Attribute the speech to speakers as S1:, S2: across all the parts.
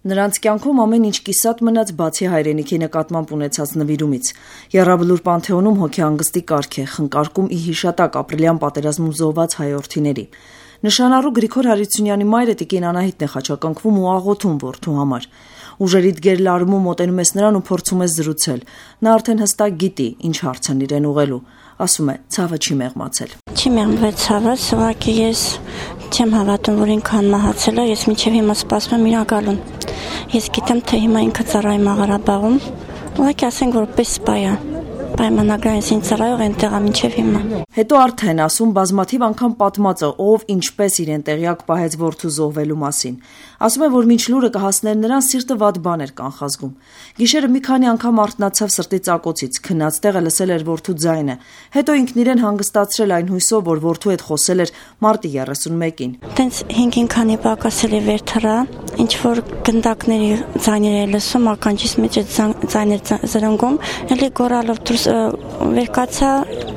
S1: Նրանց կյանքում ամեն ինչ կիսատ մնաց բացի հայրենիքի նկատմամբ ունեցած նվիրումից։ Եռաբլուր Պանթեոնում հոգեհանգստի կարգ է, խնկարկում ի հիշատակ ապրիլյան պատերազմում զոհված հայ որդիների։ Նշանառու Գրիգոր Հարությունյանի մայրը տիկին Անահիտն է խաչակնկվում ու աղոթում որդու համար։ Ուժերիդ գերլարումով մոտենում ես նրան ու փորձում ես զրուցել։ Նա արդեն հստակ գիտի, ինչ հարց են իրեն ուղղելու։ Ասում է, ցավը չի մեղմացել։
S2: Չի մեղմվել ցավը, ուղղակի ես չեմ հավատում, որ ինքան մահացել է, ես մինչև հիմա սպասում եմ իր գալուն։ Ես գիտեմ, թե հիմա ինքը ծառայում է Ղարաբաղում, ուղղակի ասենք, որ պես սպա է։ Պայմանագրային ինձ ծառայող այնտեղ է մինչև հիմա։
S1: Հետո արդեն ասում բազմաթիվ անգամ պատմածը, ով ինչպես իրեն տեղյակ պահեց որդու զոհվելու մասին։ Ասում է, որ մինչ լուրը կհասներ նրան, սիրտը վատ բան էր կանխազգում։ Գիշերը մի քանի անգամ արթնացավ սրտի ծակոցից, քնած տեղը լսել էր որդու ձայնը։ Հետո ինքն իրեն հանգստացրել այն հույսով, որ որդու հետ խոսել էր մարտի 31-ին։
S2: Տենց 5-ին քանի պակասել է վեր թռա, ինչ որ գնդակների ձայներ է լսում, ականջիս մեջ ձայներ զրնգում, էլի գորալով դուրս վեր կացա,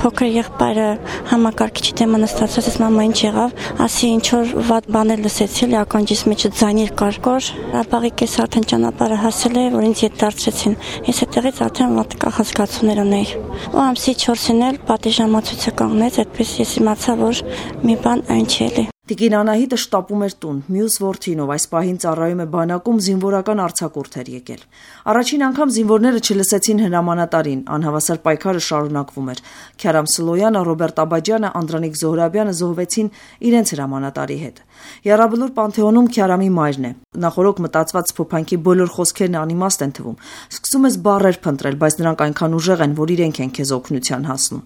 S2: փոքր եղբայրը համակարգիչի դեմը նստացած, ես մամա ինչ եղավ, ասի ինչ որ վատ բաներ լսեցի, ականջիս մեջ ձայներ կար։ Ղարաբաղի կես արդեն ճանապարհը հասել է, որ ինձ ետ դարձրեցին։ Ես այդտեղից արդեն վատ կախազգացումներ ունեի։ Ու ամսի 4-ին էլ պատիժամացույցը կանգնեց, այդպես ես իմացա, որ մի բան այն չի էլի։
S1: Տիկին Անահիտը շտապում էր տուն, մյուս որդին, ով այս պահին ծառայում է բանակում, զինվորական արձակուրդ էր եկել։ Առաջին անգամ զինվորները չլսեցին հրամանատարին, անհավասար պայքարը շարունակվում էր։ Քյարամ Սլոյանը, Ռոբերտ Աբաջյանը, Անդրանիկ Զոհրաբյանը զոհվեցին իրենց հրամանատարի հետ։ Եռաբլուր Պանթեոնում Քյարամի մայրն է։ Նախորոք մտածված փոփանքի բոլոր խոսքերն անիմաստ են թվում։ Սկսում ես բառեր փնտրել, բայց նրանք այնքան ուժեղ են, որ իրենք են քեզ օգնության հասնում։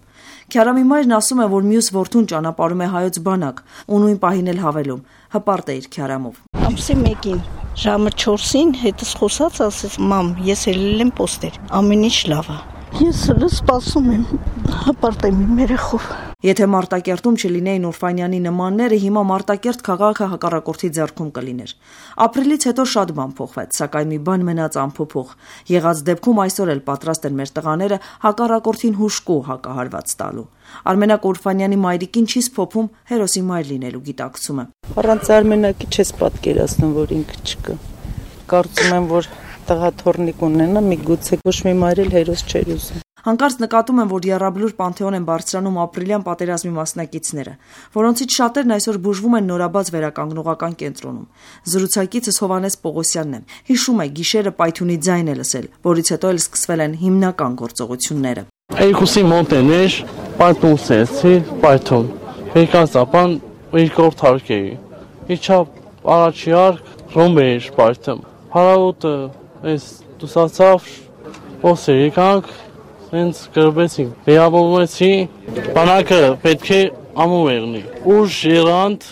S1: Քյարամի մայրն ասում է, որ մյուս որդուն ճանապարհում է հայոց բանակ, ու նույն պահին էլ հավելում, հպարտ է իր Քյարամով։
S3: Ամսի 1-ին ժամը 4-ին հետս խոսած ասեց, մամ, ես ելել եմ պոստեր, ամեն ինչ լավ է։ Ես սպասում եմ, հպարտ եմ իմ երեխով։
S1: Եթե Մարտակերտում չլինեին Օրֆանյանի նմանները, հիմա Մարտակերտ քաղաքը հակառակորդի ձեռքում կլիներ։ Ապրիլից հետո շատ բան փոխվեց, սակայն մի բան մնաց անփոփոխ։ Եղած դեպքում այսօր էլ պատրաստ են մեր տղաները հակառակորդին հուժկու հակահարված տալու։ Արմենակ Օրֆանյանի մայրիկին չի սփոփում հերոսի մայր լինելու գիտակցումը։
S3: Առանց Արմենակի չես պատկերացնում, որ ինքը չկա։ Կարծում եմ, որ տղա թորնիկ ունենա, միգուցե ոչ մի մայր էլ հերոս չէր ուզում։
S1: Հանկարծ նկատում եմ, որ Եռաբլուր Պանթեոն են բարձրանում ապրիլյան պատերազմի մասնակիցները, որոնցից շատերն այսօր բուժվում են նորաբաց վերականգնողական կենտրոնում։ Զրուցակիցս Հովհաննես Պողոսյանն է։ Հիշում է, գիշերը պայթյունի ձայն է լսել, որից հետո էլ սկսվել են հիմնական գործողությունները։
S4: Երկուսի մոտեներ, պայթունսեցի, պայթուն։ Եկած ապան երկրորդ հարկեի։ Իջա առաջի արկ, ռոմբեր պայթում։ Հարավոտը այս դուսացավ, ոսեր եկանք, հենց գրվեցինք, վերաբողվեցի, բանակը պետք է ամում եղնի, ուժ երանդ,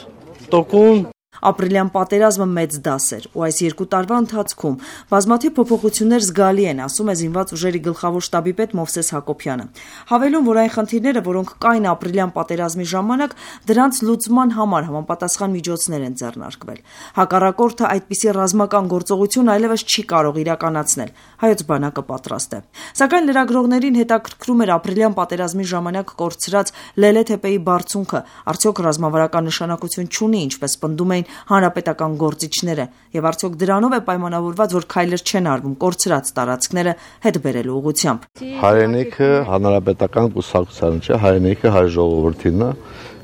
S4: տոկուն։
S1: Ապրիլյան պատերազմը մեծ դաս էր, ու այս 2 տարվա ընթացքում բազմաթիվ փոփոխություններ զգալի են, ասում է զինված ուժերի գլխավոր շտաբի պետ Մովսես Հակոբյանը։ Հավելում, որ այն խնդիրները, որոնք կային ապրիլյան պատերազմի ժամանակ, դրանց լուծման համար համապատասխան միջոցներ են ձեռնարկվել։ Հակառակորդը այդպիսի ռազմական գործողություն այլևս չի կարող իրականացնել, հայոց բանակը պատրաստ է։ Սակայն լրագրողներին հետաքրքրում էր ապրիլյան պատերազմի ժամանակ կորցրած Լելե թեպեի բարձունքը, արդյոք ռազմավարական նշանակություն չունի, ինչպես պնդում էին հանրապետական գործիչները, եւ արդյոք դրանով է պայմանավորված, որ քայլեր չեն արվում կորցրած տարածքները հետ բերելու ուղղությամբ։
S5: Հայրենիքը հանրապետական կուսակցության չէ, հայրենիքը հայ ժողովրդին է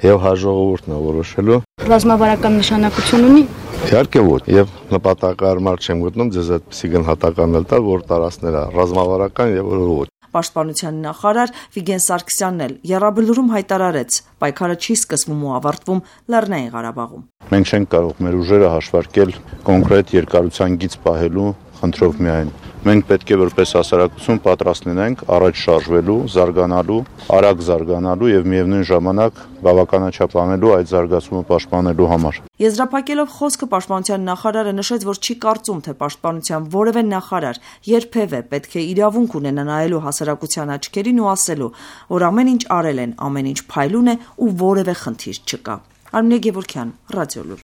S5: եւ հայ ժողովուրդն է որոշելու։
S6: Ռազմավարական նշանակություն ունի։
S5: Իհարկե ոչ, եւ նպատակարար չեմ գտնում ձեզ այդպեսի գնահատական էլ տալ, որ տարածքները ռազմավարական եւ ոչ։
S1: Պաշտպանության նախարար Վիգեն Սարգսյանն էլ Եռաբլուրում հայտարարեց, պայքարը չի սկսվում ու ավարտվում Լեռնային Ղարաբաղում։
S5: Մենք չենք կարող մեր ուժերը հաշվարկել կոնկրետ երկարության գիծ պահելու խնդրով միայն։ Մենք պետք է որպես հասարակություն պատրաստ լինենք առաջ շարժվելու, զարգանալու, արագ զարգանալու եւ միևնույն ժամանակ բավականաչափ անելու այդ զարգացումը պաշտպանելու համար։
S1: Եզրափակելով խոսքը պաշտպանության նախարարը նշեց, որ չի կարծում, թե պաշտպանության որևէ նախարար երբևէ պետք է իրավունք ունենա նայելու հասարակության աչքերին ու ասելու, որ ամեն ինչ արել են, ամեն ինչ փայլուն է ու որևէ խնդիր չկա։ Արմինե Գևորգյան, Ռադիոլուր։